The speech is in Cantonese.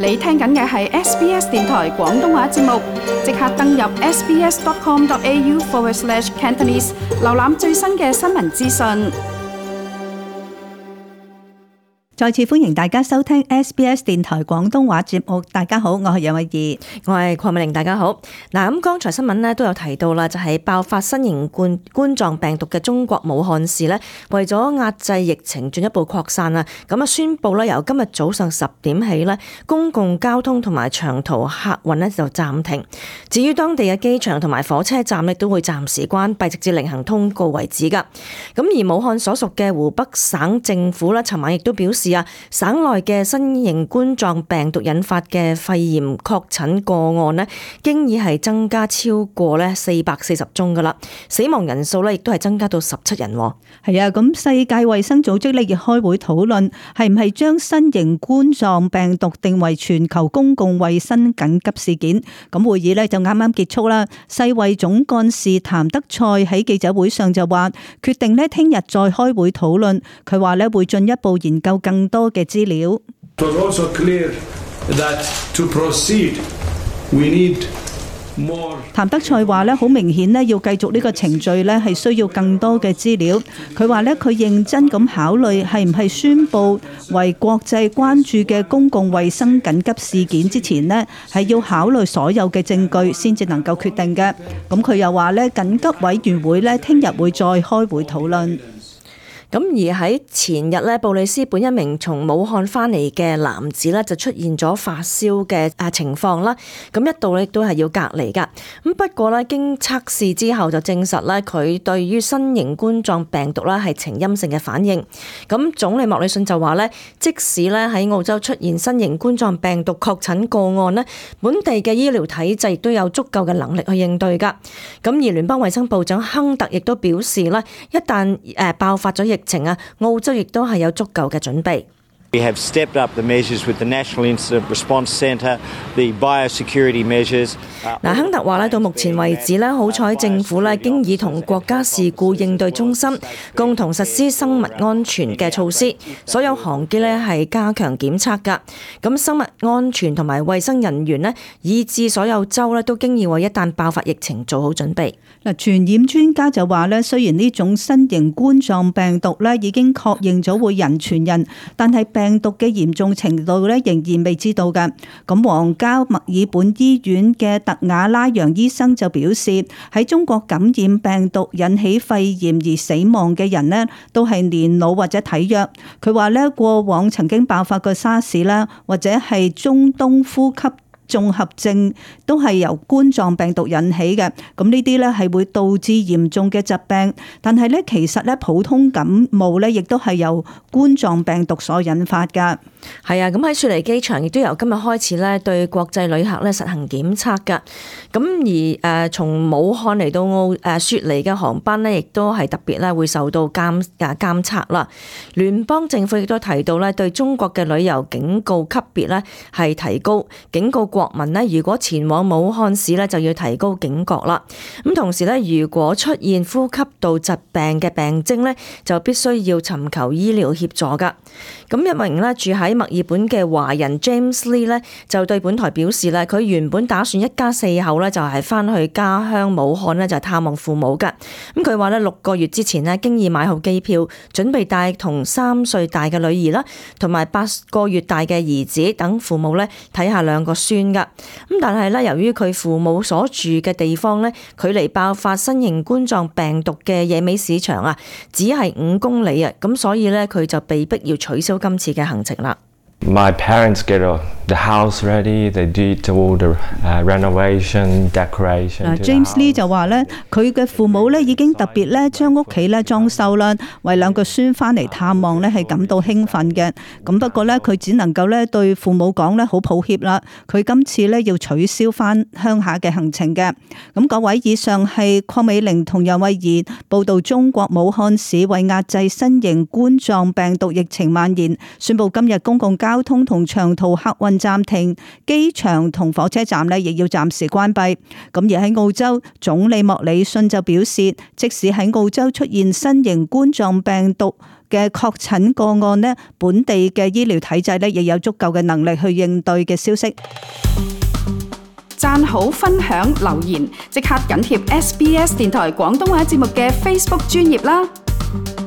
你聽緊嘅係 SBS 電台廣東話節目，即刻登入 sbs.com.au/Cantonese 瀏覽最新嘅新聞資訊。再次歡迎大家收聽 SBS 電台廣東話節目。大家好，我係楊慧儀，我係鄺美玲。大家好。嗱，咁剛才新聞咧都有提到啦，就係爆發新型冠狀病毒嘅中國武漢市咧，為咗壓制疫情進一步擴散啊，咁啊宣布咧由今日早上10點起咧，公共交通同埋長途客運咧就暫停。至於當地嘅機場同埋火車站咧都會暫時關閉，直至另行通告為止噶。咁而武漢所屬嘅湖北省政府咧，尋晚亦都表示省內嘅新型冠狀病毒引發嘅肺炎確診個案呢，經已係增加超過440宗噶啦，死亡人數呢亦都係增加到17人。係啊，咁世界衛生組織呢亦開會討論係唔係將新型冠狀病毒定為全球公共衛生緊急事件。咁會議呢就啱啱結束啦。世衛總幹事譚德塞喺記者會上就話，決定呢聽日再開會討論。佢話呢會進一步研究更多嘅資料。譚德塞話咧，好明顯咧，要繼續呢個程序咧，係需要更多嘅資料。佢話咧，佢認真咁考慮係唔係宣布為國際關注嘅公共衛生緊急事件之前呢，係要考慮所有嘅證據先至能夠決定嘅。咁佢又話咧，緊急委員會咧，聽日會再開會討論。咁而喺前日咧，布里斯本一名從武漢翻嚟嘅男子咧，就出現咗發燒嘅情況啦。咁一度咧都係要隔離噶。咁不過咧，經測試之後就證實咧，佢對於新型冠狀病毒咧係呈陰性嘅反應。咁總理莫里遜就話咧，即使咧喺澳洲出現新型冠狀病毒確診個案咧，本地嘅醫療體制亦都有足夠嘅能力去應對噶。咁而聯邦衛生部長亨特亦都表示咧，一旦爆發咗疫情啊，澳洲亦都係有足夠嘅準備。We have stepped up the measures with the National Incident Response Centre, the biosecurity measures. 嗱，亨特話咧，到目前為止咧，好彩政府咧經已同國家事故應對中心共同實施生物安全嘅措施，所有航機咧係加強檢測㗎。咁生物安全同埋衛生人員咧，以至所有州咧都經已為一旦爆發疫情做好準備。嗱，傳染專家就話咧，雖然呢種新型冠狀病毒咧已經確認咗會人傳人，但係病毒嘅嚴重程度咧仍然未知道㗎。咁皇家墨爾本醫院嘅特雅拉揚醫生就表示，喺中國感染病毒引起肺炎而死亡嘅人呢，都係年老或者體弱。佢話咧，過往曾經爆發過沙士啦，或者係中東呼吸綜合症都係由冠狀病毒引起嘅，咁呢啲咧係會導致嚴重嘅疾病。但係咧，其實咧普通感冒咧，亦都係由冠狀病毒所引發噶。係啊，咁喺雪梨機場亦都由今日開始咧，對國際旅客咧實行檢測噶。咁而從武漢嚟到雪梨嘅航班咧，亦都係特別咧會受到監測啦。聯邦政府亦都提到咧，對中國嘅旅遊警告級別咧係提高，警告國民咧，如果前往武漢市咧，就要提高警覺啦。咁同時咧，如果出現呼吸道疾病嘅病徵咧，就必須要尋求醫療協助噶。咁一名咧住喺墨爾本嘅華人 James Lee 咧，就對本台表示咧，佢原本打算一家4口咧就係翻去家鄉武漢咧就探望父母噶。咁佢話咧6個月之前咧經已買好機票，準備帶同3歲大嘅女兒啦，同埋8個月大嘅兒子等父母咧睇下2個孫噶。咁但係咧，由於佢父母所住嘅地方咧，距離爆發新型冠狀病毒嘅野味市場啊，只係5公里啊，咁所以咧佢就被逼要取消今次嘅行程啦。My parents get the house ready. They did all the renovation, decoration. James Lee 就話咧，佢嘅父母咧已經特別咧將屋企咧裝修啦，為2個孫翻嚟探望咧係感到興奮嘅。咁不過咧，佢只能夠咧對父母講咧好抱歉啦，佢今次咧要取消翻鄉下嘅行程嘅。咁各位，以上係鄺美玲同楊慧儀報道中國武漢市為壓制新型冠狀病毒疫情蔓延，宣布今日公共交通同長途客運暫停，機場同火車站亦要暫時關閉。咁而喺澳洲，總理莫里遜就表示，即使喺澳洲出現新型冠狀病毒嘅確診個案呢，本地嘅醫療體制呢亦有足夠嘅能力去應對嘅消息。讚好、分享、留言，即刻緊貼SBS 電台廣東話節目嘅 Facebook 專頁啦！